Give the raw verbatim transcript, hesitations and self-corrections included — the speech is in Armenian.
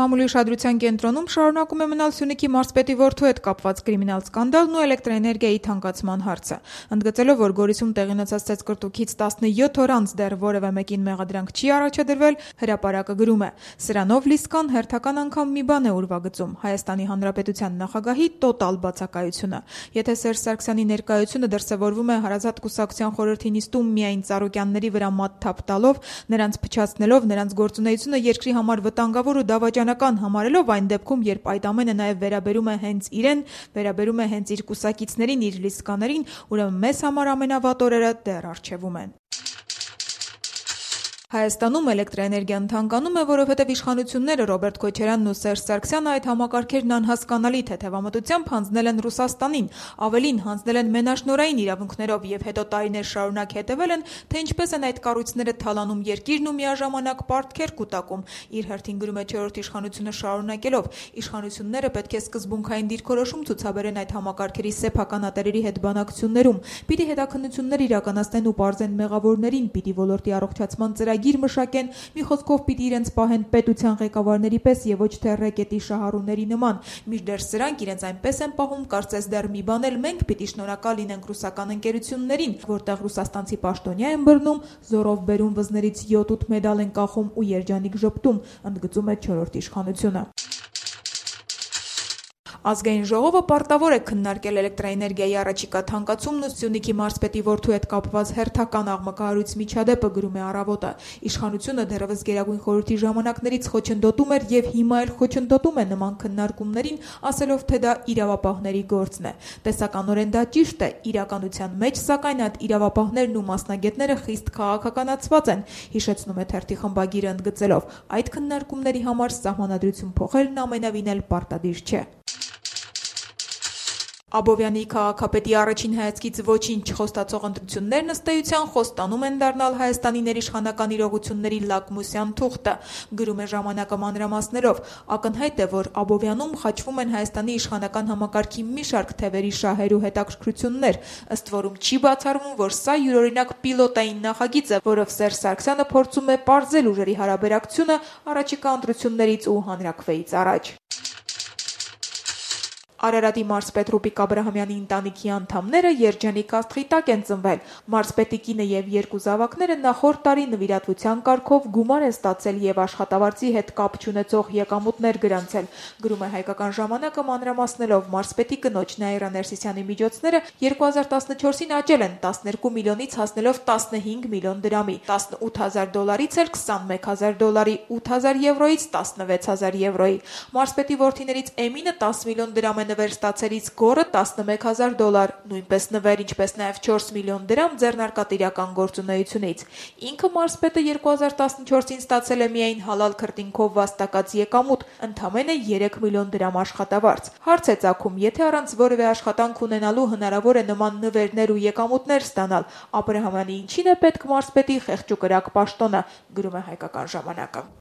Մամուլի ուշադրության կենտրոնում շարունակում է մնալ Սյունիքի մարզպետի որդու հետ կապված կրիմինալ սկանդալն ու էլեկտրաէներգիայի թանկացման հարցը։ Ընդգծելով, որ Գորիսում տեղի ունեցած ծեծկռտուքից տասնյոթ օր անց դեռ որևէ մեկին մեղադրանք չի առաջադրվել, հրապարակը գրում է. «Սրանով Լիսկան հերթական անգամ մի բան է ուրվագծում՝ Հայաստանի Հանրապետության նախագահի տոտալ բացակայությունը։ Եթե Սերժ Սարգսյանի ներկայությունը դրսևորվում է Հարազատ կուսակցության խորհրդի նիստում միայն Ծառուկյանների վրա մատթափ տալով, նրանց փչացնելով, նրանց գործունեությունը երկրի համար վտանգավոր ու դավաճանական համարելով, այն դեպքում, երբ այդ ամենը նաև վերաբերում է հենց իրեն, վերաբերում է հենց իր կուսակիցներին, իր լիսկաներին, ուրեմն մեզ համար ամենավատ օրերը դեռ առջևում են»։ Հայաստանում էլեկտրաէներգիան թանկանում է, որովհետև իշխանությունները Ռոբերտ Քոչարյանն ու Սերժ Սարգսյանը այդ համակարգերն անհասկանալի թեթևամտությամբ հանձնել են Ռուսաստանին, ավելին հանձնել են մենաշնորհային իրավունքներով եւ հետո տարիներ շարունակ հետևել են, թե ինչպես են այդ կառույցները թալանում երկիրն ու միաժամանակ պարտքեր կուտակում։ Իր հերթին գրում է չորրորդ իշխանությունը շարունակելով. «Իշխանությունները պետք է սկզբունքային դիրքորոշում ցուցաբերեն այդ համակարգերի սեփականատերերի հետ բանակցություններում, պիտի հետաքննություններ իրականացնեն ու պարզեն մեղավորներին, պիտի ոլորտի առողջացման ծրագիր մշակեն, մի խոսքով պիտի իրենց պահեն պետության ղեկավարների պես եւ ոչ թե ռեկետի շահառուների նման։ Մինչդեռ սրանք իրենց այնպես են պահում, կարծես դեռ մի բան էլ մենք պիտի շնորհակալ լինենք ռուսական ընկերություններին, որտեղ ռուսաստանցի պաշտոնյա են բռնում, զորով բերում վզներից յոթ-ութ մեդալ են կախում ու երջանիկ ժպտում», ընդգծում է չորրորդ իշխանությունը։ Ազգային ժողովը պարտավոր է քննարկել էլեկտրաէներգիայի առաջիկա թանկացումն ու Սյունիքի մարզպետի որդու հետ կապված հերթական աղմկահարույց միջադեպը, գրում է Առավոտը։ Իշխանությունը դեռևս Գերագույն խորհրդի ժամանակներից խոչընդոտում էր եւ հիմա էլ խոչընդոտում է նման քննարկումներին, ասելով, թե դա իրավապահների գործն է։ Տեսականորեն դա ճիշտ է, իրականության մեջ, սակայն այդ իրավապահներն ու մասնագետները խիստ քաղաքականացված են, հիշեցնում է թերթի խմբագիրը ընդգծելով. «Այդ քննարկումների համար սահմանադրություն փոխելն ամենևին էլ պարտադիր չէ»։ Աբովյանի քաղաքապետի առաջին հայացքից ոչինչ չխոստացող ընտրություններն ըստ էության խոստանում են դառնալ Հայաստանի ներիշխանական իրողությունների լակմուսյան թուղթը, գրում է Ժամանակը մանրամասներով։ Ակնհայտ է, որ Աբովյանում խաչվում են Հայաստանի իշխանական համակարգի մի շարք թևերի շահեր ու հետաքրքրություններ, ըստ որում չի բացառվում, որ սա յուրօրինակ պիլոտային նախագիծ է, որով Սերժ Սարգսյանը փորձում է պարզել ուժերի հարաբերակցությունը առաջիկա ընտրություններից ու հանրաքվեից առաջ։ Արարատի մարզպետ Ռուբիկ Աբրահամյանի ընտանիքի անդամները երջանիկ աստղի տակ են ծնվել։ Մարզպետի կինը եւ երկու զավակները նախորդ տարի նվիրատվության կարգով գումար են ստացել եւ աշխատավարձի հետ կապ չունեցող եկամուտներ գրանցել, գրում է Հայկական ժամանակը մանրամասնելով. մարզպետի կնոջ Նաիրա Ներսիսյանի միջոցները երկու հազար տասնչորսին աճել են տասներկու միլիոնից հասնելով տասնհինգ միլիոն դրամի, տասնութ հազար դոլարից էլ քսանմեկ հազար դոլարի, ութ հազար եվրոից տասնվեց հազար եվրոյի։ Մարզպետի որդիներից Էմինը տասը միլիոն դրամ է նվեր ստացելից, Գոռը տասնմեկ հազար դոլար, նույնպես նվեր, ինչպես նաև չորս միլիոն դրամ ձեռնարկատիրական գործունեությունից։ Ինքը մարզպետը երկու հազար տասնչորսին ստացել է միայն հալալ քրտինքով վաստակած եկամուտ, ընդամենը երեք միլիոն դրամ աշխատավարձ։ Հարց է ծագում, եթե առանց որևէ աշխատանք ունենալու հնարավոր է նման նվերներ ու եկամուտներ ստանալ, Աբրահամյանի ինչին է պետք մարզպետի խեղճ ու կրակ պաշտոնը, գրում է Հայկական ժամանակը։